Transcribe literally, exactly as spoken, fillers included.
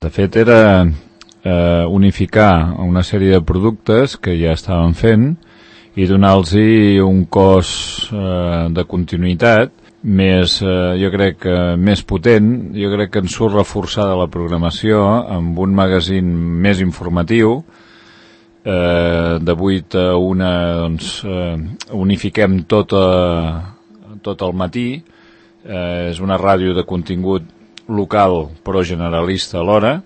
De fet, era eh, unificar una sèrie de productes que ja estaven fent i donar-los un cos eh, de continuïtat més, eh, jo crec que més potent. Jo crec que en surt reforçada la programació amb un magazín més informatiu. Eh, de vuit a una doncs, eh, unifiquem tot, a, tot el matí. Eh, és una ràdio de contingut local però generalista alhora.